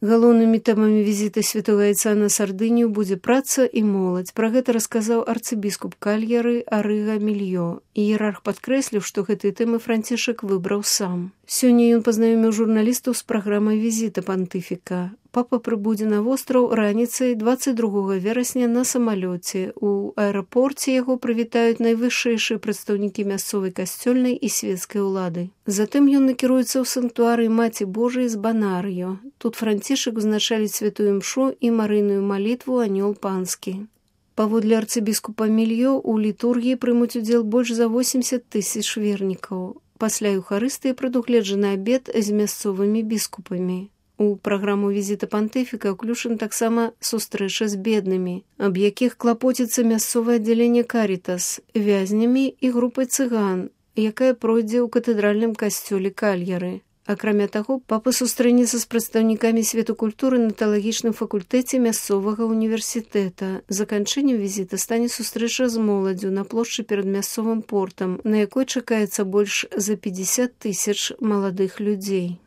Галоўнымі тэмамі візіта святога айца на Сардынію будзе праца і моладзь. Пра гэта расказаў арцыбіскуп Кальяры Арыга Мільё. Іерарх падкрэсліў, што гэтыя тэмы Францішак выбраў сам. Сёння ён пазнаёміў журналістаў з праграмай візіта пантыфіка. Папа прыбудзе на востраў раніцай 22 верасня на самалёце. У аэрапорце яго прывітаюць найвышэйшыя прадстаўнікі мясцовай касцёльнай і свецкай улады. Затым ён накіруецца ў санктуарый Маці Божай з Банарыё. Тут Францішак узначаліць святую імшу і марыйную малітву «Анёл панскі». Паводле арцыбіскупа Мільё у літургіі прымуць удзел больш за 80 000 вернікаў. Пасля Еўхарыстыі прадугледжаны абед з мясцовымі біскупамі. У праграму візіта пантыфіка ўключана таксама сустрэча з беднымі, аб якіх клапоціцца мясцовае аддзяленне Карітас, вязнямі і групай цыган, якая пройдзе ў катэдральным касцёле Кальяры. Акрамя таго, папа сустрэнецца з прадстаўнікамі свету культуры на тэалагічным факультэце мясцовага універсітэта. Заканчэннем візіта стане сустрэча з моладдзю на плошчы перад мясцовым портам, на якой чакаецца больш за 50 000 маладых людзей.